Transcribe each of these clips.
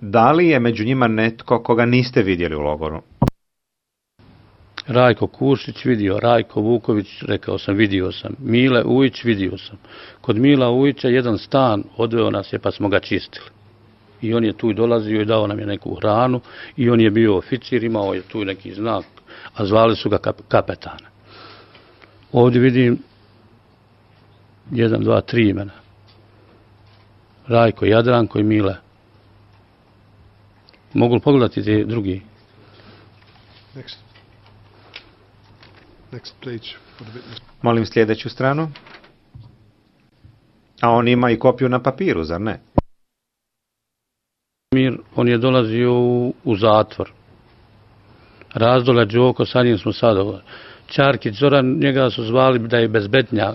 Da li je među njima netko koga niste vidjeli u logoru? Rajko Kušić vidio, Rajko Vuković, rekao sam, vidio sam. Mile Ujić vidio sam. Kod Mila Ujića jedan stan odveo nas je pa smo ga čistili. I on je tu dolazio i dao nam je neku hranu i on je bio oficir, imao je tu neki znak, a zvali su ga kapetana. Ovdje vidim 1, 2, 3 imena. Rajko, Jadranko i Mile. Mogu li pogledati te drugi? Next page for the witness. Molim sljedeću stranu. A on ima i kopiju na papiru, zar ne? On je dolazio u zatvor. Razdolja Đoko, sa njim smo sad ovo. Čarkić Zoran, njega su zvali da je bezbednja,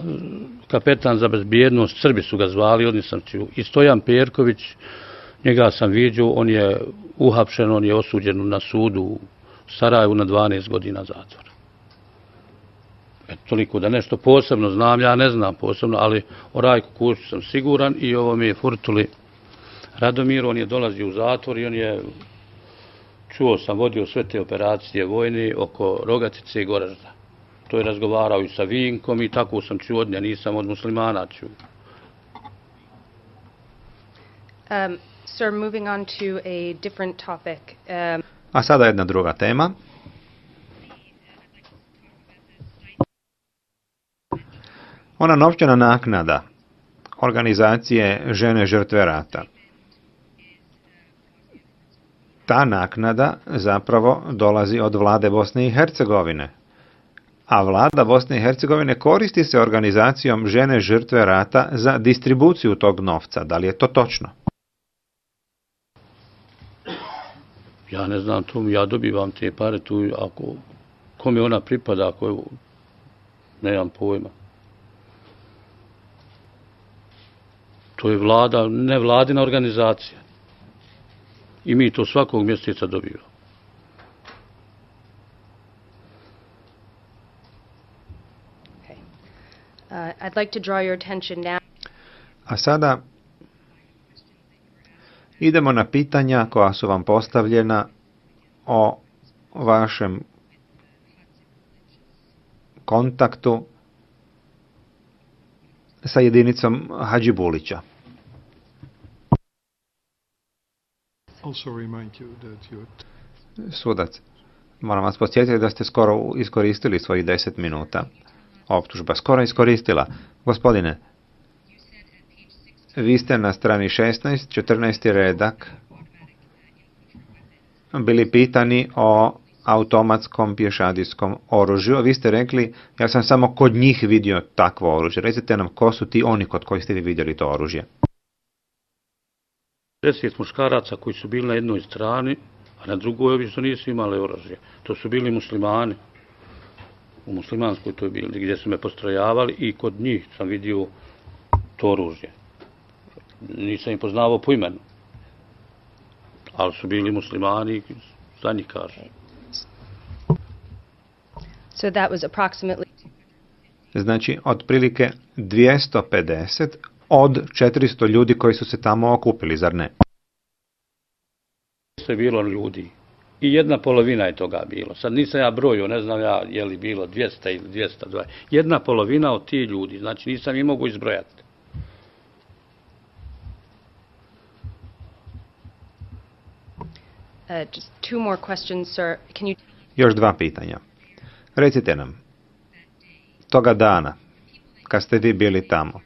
kapetan za bezbjednost, Srbi su ga zvali, oni sam čuo. I Stojan Perković, njega sam vidio, on je uhapšen, on je osuđen na sudu u Sarajevu na 12 godina zatvora. Toliko da nešto posebno znam, ja ne znam posebno, ali o Rajku Kušiću sam siguran i ovo mi je Furtuli Radomir, on je dolazio u zatvor i on je, čuo sam, vodio sve te operacije vojne oko Rogatice i Goražda. To je razgovarao i sa Vinkom i tako sam čuo od nja, nisam od muslimana čuo. Sir, moving on to a different topic. A sada jedna druga tema. Ona novčana naknada organizacije Žene žrtve rata. Ta naknada zapravo dolazi od vlade Bosne i Hercegovine. A vlada Bosne i Hercegovine koristi se organizacijom Žene žrtve rata za distribuciju tog novca. Da li je to točno? Ja ne znam, ja dobivam te pare tu, ako kome ona pripada, ako nemam pojma. To je vlada, nevladina organizacija. I mi to svakog mjeseca dobivamo. I'd like to draw your attention now. A sada idemo na pitanja koja su vam postavljena o vašem kontaktu sa jedinicom Hadžibulića. Also remind you that Sudac, moram vas podsjetiti da ste skoro iskoristili svojih 10 minuta. Optužba skoro iskoristila. Gospodine, vi ste na strani 16, 14. redak bili pitani o automatskom pješadijskom oružju. Vi ste rekli, ja sam samo kod njih vidio takvo oružje. Recite nam, ko su ti oni kod koji ste vi vidjeli to oružje? 10 muškaraca koji su bili na jednoj strani, a na drugoj obično nisu imali oružje. To su bili muslimani. U muslimanskoj to je bili, gdje su me postrojavali i kod njih sam vidio to oružje. Nisam ih poznavao po imenu. Ali su bili muslimani, za njih kažem. So that was approximately... Znači, otprilike 250 od 400 ljudi koji su se tamo okupili, zar ne? Je bilo ljudi. I 1/2 je toga bilo. Sad nisam ja brojio, ne znam ja je li bilo 200 ili 220. 1/2 od tih ljudi, znači nisam ih mogu izbrojati. Just 2 more questions, sir. Can you... Još 2 pitanja. Recite nam, toga dana, kad ste vi bili tamo,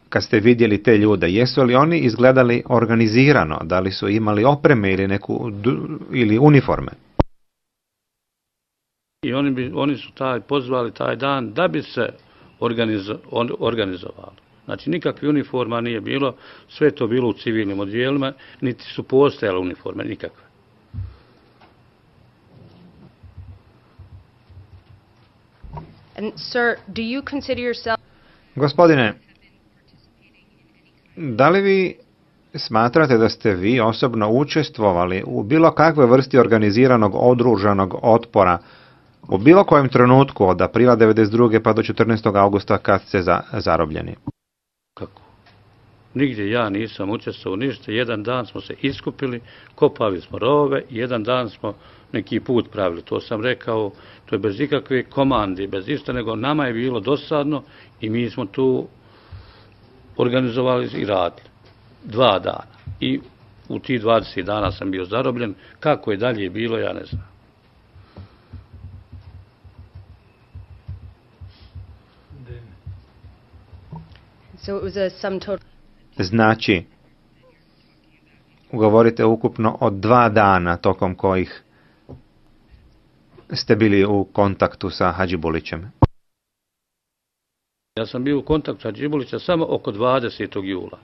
kad ste vidjeli te ljude, jesu li oni izgledali organizirano, da li su imali opreme ili ili uniforme? I oni su pozvali taj dan da bi se organizovali. Znači nikakve uniforma nije bilo, sve to bilo u civilnim odjelima, niti su postojale uniforme, nikakve. And sir, do you consider yourself... Gospodine, da li vi smatrate da ste vi osobno učestvovali u bilo kakve vrsti organiziranog oružanog otpora u bilo kojem trenutku od aprila 1992. pa do 14. augusta kad ste zarobljeni? Kako? Nigdje ja nisam učestvovao ništa. Jedan dan smo se iskupili, kopali smo rovove, jedan dan smo neki put pravili. To sam rekao, to je bez ikakve komande, bez ništa, nego nama je bilo dosadno i mi smo tu organizovali i radili. 2 dana. I u tih 20 dana sam bio zarobljen. Kako je dalje bilo, ja ne znam. So it was a sum total. Znači, govorite ukupno o 2 dana tokom kojih ste bili u kontaktu sa Hadžibulićem. Ja sam bio u kontaktu sa Hadžibulićem samo oko 20. jula.